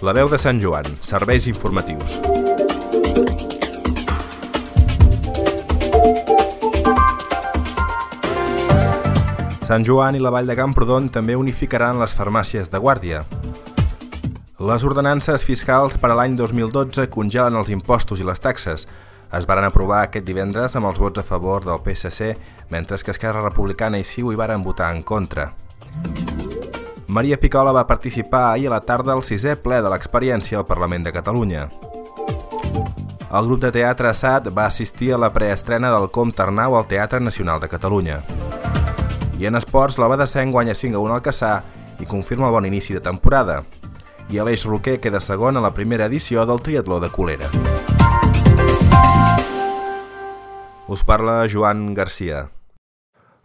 La veu de Sant Joan, serveis informatius. Sant Joan i la Vall de Camprodon també unificaran les farmàcies de guàrdia. Les ordenances fiscals per a l'any 2012 congelen els impostos i les taxes. Es varen aprovar aquest divendres amb els vots a favor del PSC, mentre que Esquerra Republicana i CiU hi varen votar en contra. Maria Picola va participar ahir a la tarda al 6è ple de l'experiència al Parlament de Catalunya. El grup de teatre SAT va assistir a la preestrena del Comte Arnau al Teatre Nacional de Catalunya. I en esports, la Badesenc guanya 5-1 al Cassà i confirma el bon inici de temporada. I Aleix Roquer queda segon a la primera edició del triatló de Colera. Us parla Joan Garcia.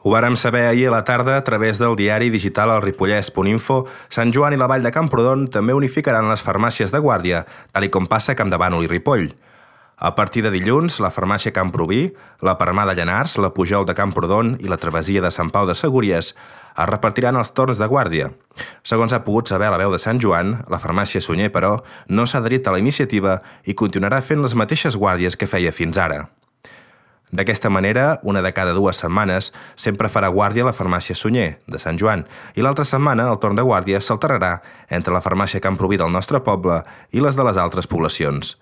Ho vàrem saber ahir a la tarda a través del diari digital El Ripollès.info. Sant Joan i la Vall de Camprodon també unificaran les farmàcies de guàrdia, tal com passa a Campdevànol i Ripoll. A partir de dilluns, la farmàcia Camproví, la Parmà de Llanars, la Pujol de Camprodon i la Travessia de Sant Pau de Segúries es repartiran els torns de guàrdia. Segons ha pogut saber a la veu de Sant Joan, la farmàcia Sunyer, però, no s'ha adherit a la iniciativa i continuarà fent les mateixes guàrdies que feia fins ara. D'aquesta manera, una de cada 2 setmanes sempre farà guàrdia la farmàcia Sunyer, de Sant Joan, i l'altra setmana el torn de guàrdia s'alternarà entre la farmàcia Camproví del nostre poble i les de les altres poblacions.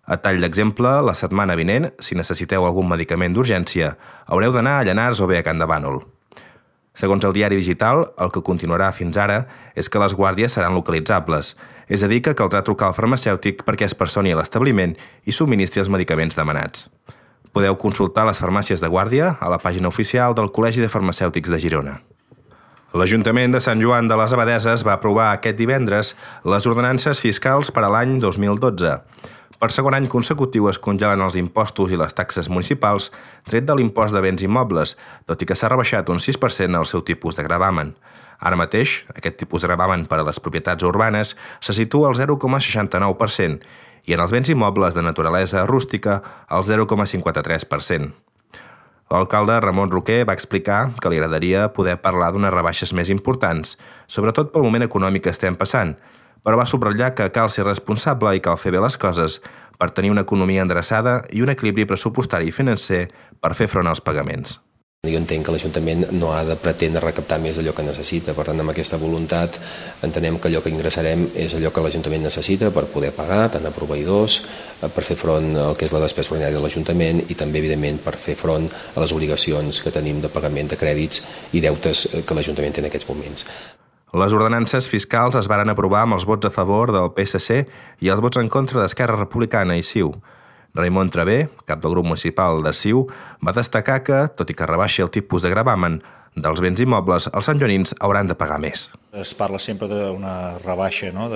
A tall d'exemple, la setmana vinent, si necessiteu algun medicament d'urgència, haureu d'anar a Llanars o bé a Campdevànol. Segons el diari digital, el que continuarà fins ara és que les guàrdies seran localitzables, és a dir, que caldrà trucar al farmacèutic perquè es personi a l'establiment i subministri els medicaments demanats. Podeu consultar les farmàcies de guàrdia a la pàgina oficial del Col·legi de Farmacèutics de Girona. L'Ajuntament de Sant Joan de les Abadeses va aprovar aquest divendres les ordenances fiscals per a l'any 2012. Per segon any consecutiu es congelen els impostos i les taxes municipals, tret de l'impost de béns immobles, tot i que s'ha rebaixat un 6% el seu tipus de gravamen. Ara mateix, aquest tipus de gravamen per a les propietats urbanes se situa al 0,69%, i en els béns immobles de naturalesa rústica al 0,53%. L'alcalde Ramon Roquer va explicar que li agradaria poder parlar d'unes rebaixes més importants, sobretot pel moment econòmic que estem passant, però va subratllar que cal ser responsable i cal fer bé les coses per tenir una economia endreçada i un equilibri pressupostari i financer per fer front als pagaments. Jo entenc que l'Ajuntament no ha de pretendre recaptar més d'allò que necessita. Per tant, amb aquesta voluntat entenem que allò que ingressarem és allò que l'Ajuntament necessita per poder pagar, tant a proveïdors, per fer front al que és la despesa ordinària de l'Ajuntament i també, evidentment, per fer front a les obligacions que tenim de pagament de crèdits i deutes que l'Ajuntament té en aquests moments. Les ordenances fiscals es varen aprovar amb els vots a favor del PSC i els vots en contra d'Esquerra Republicana i CiU. Raimon Travé, cap del grup municipal de CiU, va destacar que, tot i que rebaixi el tipus de gravamen dels béns immobles, els santjoanins hauran de pagar més. Es parla sempre d'una rebaixa, no?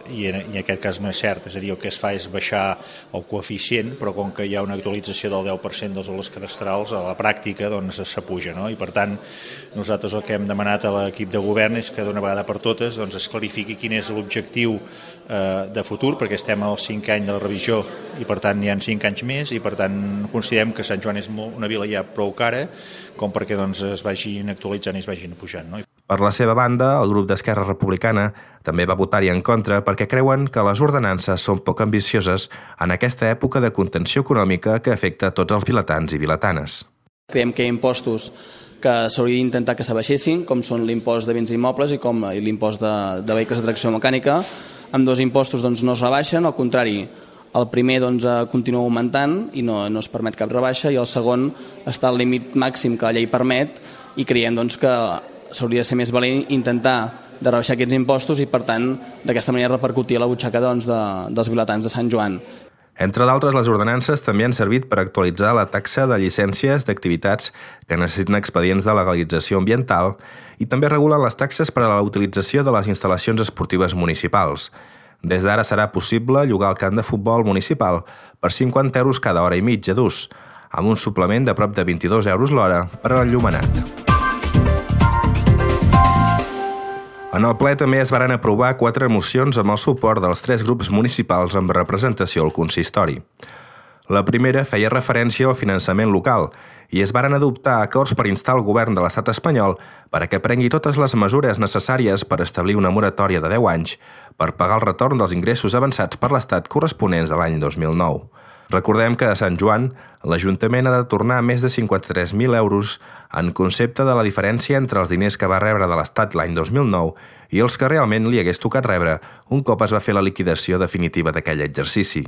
I en aquest cas no és cert, és a dir, el que es fa és baixar el coeficient, però com que hi ha una actualització del 10% dels valors cadastrals, a la pràctica doncs s'apuja, no? I per tant, nosaltres el que hem demanat a l'equip de govern és que d'una vegada per totes doncs, es clarifiqui quin és l'objectiu de futur, perquè estem al 5 any de la revisió i per tant hi ha 5 anys més i per tant considerem que Sant Joan és una vila ja prou cara com perquè doncs, es vagin actualitzant i es vagin pujant. No? Per la seva banda, el grup d'Esquerra Republicana també va votar-hi en contra perquè creuen que les ordenances són poc ambicioses en aquesta època de contenció econòmica que afecta tots els vilatans i vilatanes. Creiem que hi ha impostos que s'hauria d'intentar que s'abaixessin, com són l'impost de béns immobles i com l'impost de vehicles de tracció mecànica. Amb 2 impostos doncs, no es rebaixen, al contrari, el primer doncs, continua augmentant i no es permet cap rebaixa i el segon està al límit màxim que la llei permet i creiem doncs, que s'hauria de ser més valent intentar de rebaixar aquests impostos i per tant d'aquesta manera repercutir a la butxaca doncs, dels vilatans de Sant Joan. Entre d'altres, les ordenances també han servit per actualitzar la taxa de llicències d'activitats que necessiten expedients de legalització ambiental i també regulen les taxes per a la utilització de les instal·lacions esportives municipals. Des d'ara serà possible llogar el camp de futbol municipal per 50 euros cada hora i mitja d'ús, amb un suplement de prop de 22 euros l'hora per a l'enllumenat. En el ple també es varen aprovar 4 mocions amb el suport dels 3 grups municipals amb representació al consistori. La primera feia referència al finançament local i es varen adoptar acords per instar el govern de l'estat espanyol perquè prengui totes les mesures necessàries per establir una moratòria de 10 anys per pagar el retorn dels ingressos avançats per l'Estat corresponents a l'any 2009. Recordem que a Sant Joan l'Ajuntament ha de tornar més de 53.000 euros en concepte de la diferència entre els diners que va rebre de l'Estat l'any 2009 i els que realment li hagués tocat rebre un cop es va fer la liquidació definitiva d'aquell exercici.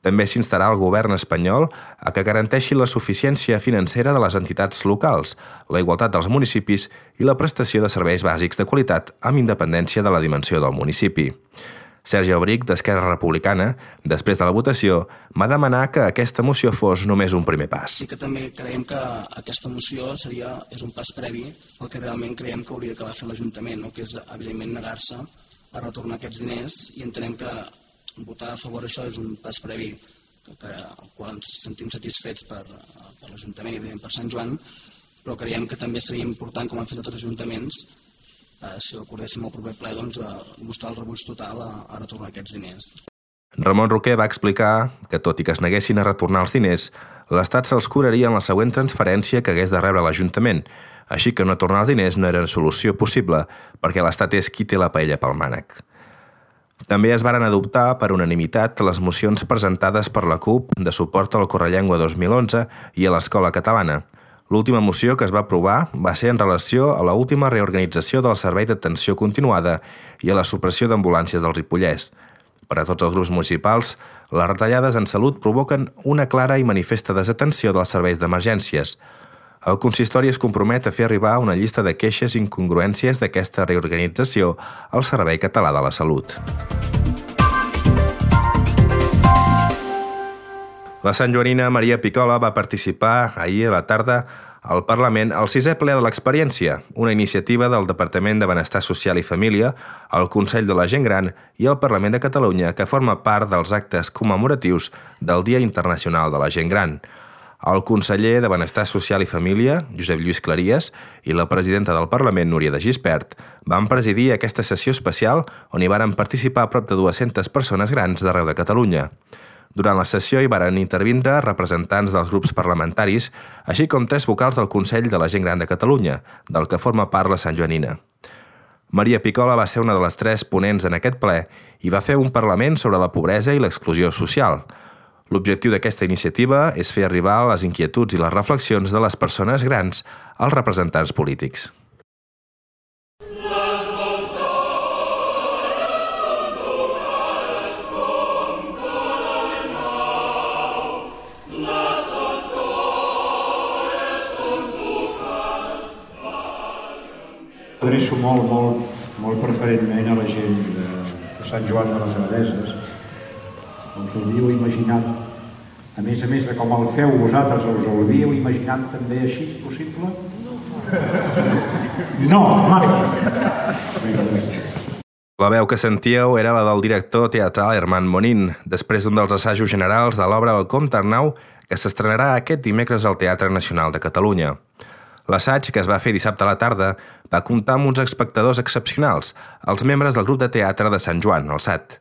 També s'instarà el govern espanyol a que garanteixi la suficiència financera de les entitats locals, la igualtat dels municipis i la prestació de serveis bàsics de qualitat amb independència de la dimensió del municipi. Sergi Albric, d'Esquerra Republicana, després de la votació, va demanar que aquesta moció fos només un primer pas. Sí que també creiem que aquesta moció és un pas previ al que realment creiem que hauria d'acabar fent l'Ajuntament, que és, evidentment, negar-se a retornar aquests diners, i entenem que votar a favor d'això és un pas previ al qual ens sentim satisfets per l'Ajuntament i evidentment per Sant Joan, però creiem que també seria important, com han fet tots els ajuntaments, si ho acordéssim al proper ple, mostrar el rebuig total a retornar aquests diners. Ramon Roquer va explicar que, tot i que es neguessin a retornar els diners, l'Estat se'ls cobraria en la següent transferència que hagués de rebre l'Ajuntament, així que no tornar els diners no era solució possible perquè l'Estat és qui té la paella pel mànec. També es varen adoptar per unanimitat les mocions presentades per la CUP de suport al Correllengua 2011 i a l'Escola Catalana. L'última moció que es va aprovar va ser en relació a l'última reorganització del Servei d'Atenció Continuada i a la supressió d'ambulàncies del Ripollès. Per a tots els grups municipals, les retallades en salut provoquen una clara i manifesta desatenció dels serveis d'emergències. El consistori es compromet a fer arribar una llista de queixes i incongruències d'aquesta reorganització al Servei Català de la Salut. La santjoanina Maria Picola va participar ahir a la tarda al Parlament al 6è ple de l'Experiència, una iniciativa del Departament de Benestar Social i Família, el Consell de la Gent Gran i el Parlament de Catalunya, que forma part dels actes commemoratius del Dia Internacional de la Gent Gran. El conseller de Benestar Social i Família, Josep Lluís Claries, i la presidenta del Parlament, Núria de Gispert, van presidir aquesta sessió especial on hi varen participar prop de 200 persones grans d'arreu de Catalunya. Durant la sessió hi varen intervindre representants dels grups parlamentaris, així com 3 vocals del Consell de la Gent Gran de Catalunya, del que forma part la santjoanina. Maria Picola va ser una de les 3 ponents en aquest ple i va fer un parlament sobre la pobresa i l'exclusió social. L'objectiu d'aquesta iniciativa és fer arribar les inquietuds i les reflexions de les persones grans als representants polítics. Adreço molt preferentment a la gent de Sant Joan de les Abadeses. Us ho havíeu imaginat, a més de com el feu vosaltres, us ho havíeu imaginat també així, possible? No, mai! La veu que sentíeu era la del director teatral Herman Monin, després d'un dels assajos generals de l'obra El Comte Arnau, que s'estrenarà aquest dimecres al Teatre Nacional de Catalunya. L'assaig, que es va fer dissabte a la tarda, va comptar amb uns espectadors excepcionals, els membres del grup de teatre de Sant Joan, el SAT.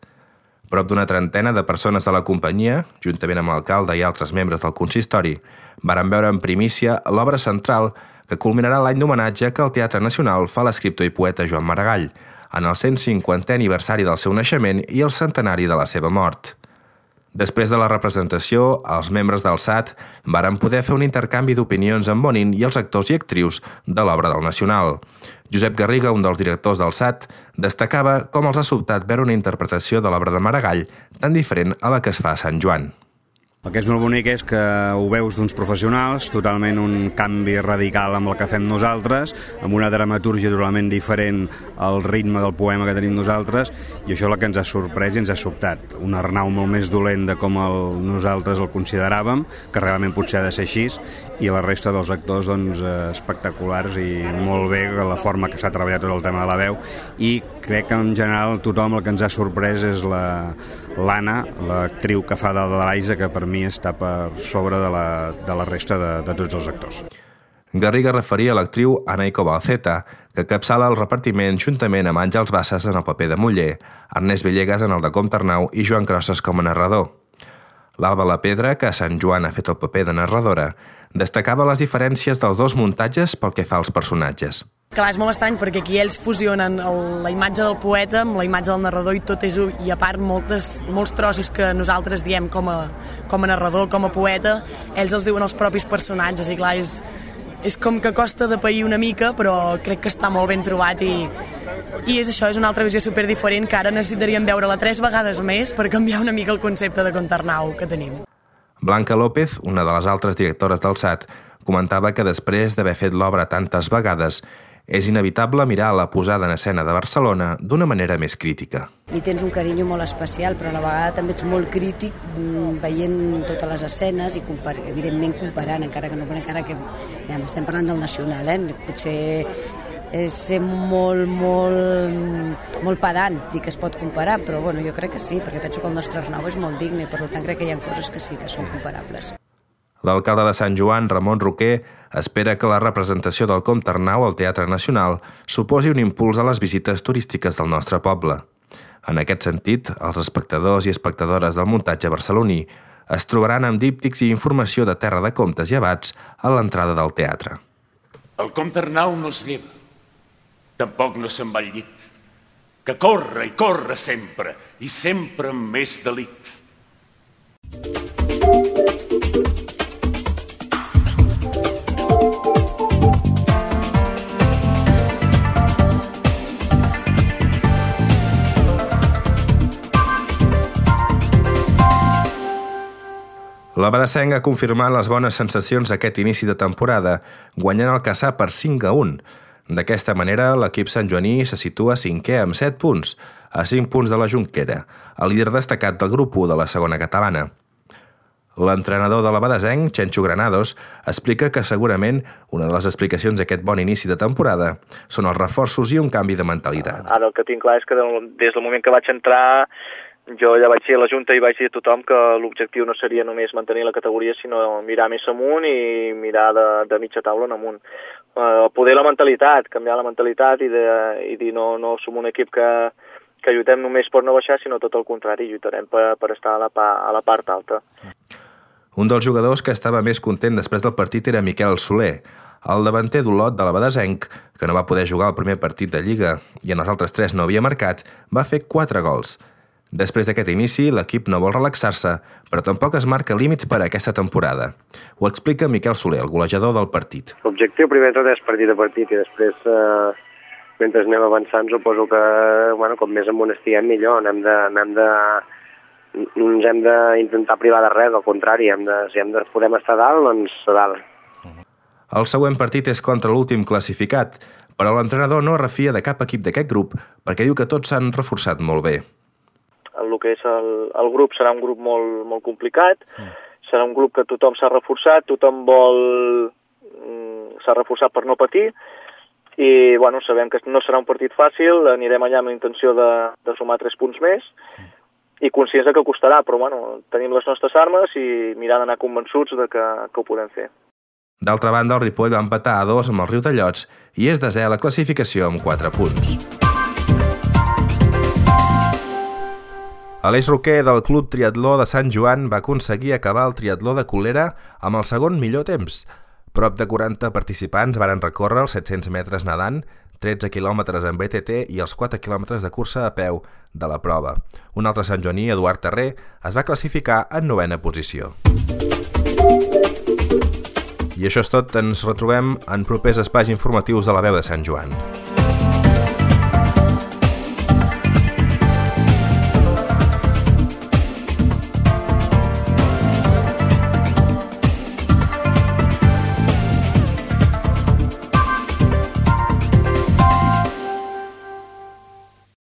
Prop d'una trentena de persones de la companyia, juntament amb l'alcalde i altres membres del consistori, varen veure en primícia l'obra central que culminarà l'any d'homenatge que el Teatre Nacional fa a l'escriptor i poeta Joan Maragall, en el 150è aniversari del seu naixement i el centenari de la seva mort. Després de la representació, els membres del SAT varen poder fer un intercanvi d'opinions amb Bonin i els actors i actrius de l'obra del Nacional. Josep Garriga, un dels directors del SAT, destacava com els ha sobtat veure una interpretació de l'obra de Maragall tan diferent a la que es fa a Sant Joan. El que és molt bonic és que ho veus d'uns professionals, totalment un canvi radical amb el que fem nosaltres, amb una dramatúrgia totalment diferent al ritme del poema que tenim nosaltres, i això és el que ens ha sorprès i ens ha sobtat. Un Arnau molt més dolent de com nosaltres el consideràvem, que realment potser ha de ser així, i la resta dels actors espectaculars i molt bé la forma que s'ha treballat tot el tema de la veu, i crec que en general tothom el que ens ha sorprès és l'Anna, l'actriu que fa de l'Aisa, que per mi està per sobre de la resta de tots els actors. Garriga referia a l'actriu Ana Balceta, que capçala el repartiment juntament amb Àngels Bassas en el paper de Muller, Ernest Villegas en el de Comte Arnau i Joan Crosses com a narrador. L'Alba La Pedra, que a Sant Joan ha fet el paper de narradora, destacava les diferències dels dos muntatges pel que fa als personatges. Clar, és molt estrany perquè aquí ells fusionen la imatge del poeta amb la imatge del narrador i tot és un, i a part molts trossos que nosaltres diem com a narrador, com a poeta, ells els diuen els propis personatges i clar, és com que costa de pair una mica, però crec que està molt ben trobat i és això, és una altra visió superdiferent que ara necessitaríem veure-la 3 vegades més per canviar una mica el concepte de Contarnau que tenim. Blanca López, una de les altres directores del SAT, comentava que després d'haver fet l'obra tantes vegades, és inevitable mirar la posada en escena de Barcelona d'una manera més crítica. Li tens un carinyo molt especial, però a la vegada també ets molt crític veient totes les escenes i evidentment comparant, encara que ja estem parlant del nacional, potser és ser molt pedant dir que es pot comparar, però bueno, jo crec que sí, perquè penso que el nostre Arnau és molt digne i per tant crec que hi ha coses que sí que són comparables. L'alcalde de Sant Joan, Ramon Roquer, espera que la representació del Comte Arnau al Teatre Nacional suposi un impuls a les visites turístiques del nostre poble. En aquest sentit, els espectadors i espectadores del muntatge barceloní es trobaran amb díptics i informació de Terra de Comtes i Abats a l'entrada del teatre. El Comte Arnau no es lleva, tampoc no se'n va al llit, que corre i corre sempre, i sempre amb més delit. L'Abadessenc ha confirmat les bones sensacions d'aquest inici de temporada, guanyant el Cassà per 5-1. D'aquesta manera, l'equip santjoaní se situa 5è amb 7 punts, a 5 punts de la Jonquera, el líder destacat del grup 1 de la segona catalana. L'entrenador de l'Abadesenc, Chencho Granados, explica que segurament una de les explicacions d'aquest bon inici de temporada són els reforços i un canvi de mentalitat. Ara el que tinc clar és que des del moment que vaig entrar jo ja vaig dir a la Junta i vaig dir a tothom que l'objectiu no seria només mantenir la categoria, sinó mirar més amunt i mirar de mitja taula en amunt. Poder la mentalitat, canviar la mentalitat i dir no som un equip que lluitem només per no baixar, sinó tot el contrari, lluitarem per estar a la part alta. Un dels jugadors que estava més content després del partit era Miquel Soler, el davanter d'Olot de l'Abadesenc, que no va poder jugar el primer partit de Lliga i en els altres 3 no havia marcat, va fer 4 gols. Després d'aquest inici, l'equip no vol relaxar-se, però tampoc es marca límits per a aquesta temporada. Ho explica Miquel Soler, el golejador del partit. L'objectiu primer de tot és partit a partit i després, mentre anem avançant, suposo que com més amunt estiguem millor. Ens hem d'intentar privar de res, al contrari, si podem estar a dalt, doncs a dalt. El següent partit és contra l'últim classificat, però l'entrenador no refia de cap equip d'aquest grup perquè diu que tots s'han reforçat molt bé. El que és el grup serà un grup molt complicat, serà un grup que tothom s'ha reforçat, s'ha reforçat per no patir i sabem que no serà un partit fàcil, anirem allà amb la intenció de sumar 3 punts més i conscients que costarà, però tenim les nostres armes i mirar d'anar convençuts que ho podem fer. D'altra banda, el Ripoll va empatar a 2 amb el Riudellots i és desè a la classificació amb 4 punts. Aleix Roquer, del Club Triatló de Sant Joan, va aconseguir acabar el triatló de Colera amb el segon millor temps. Prop de 40 participants varen recórrer els 700 metres nedant, 13 quilòmetres en BTT i els 4 quilòmetres de cursa a peu de la prova. Un altre santjoaní, Eduard Terré, es va classificar en 9a posició. I això és tot, ens retrobem en propers espais informatius de la Veu de Sant Joan.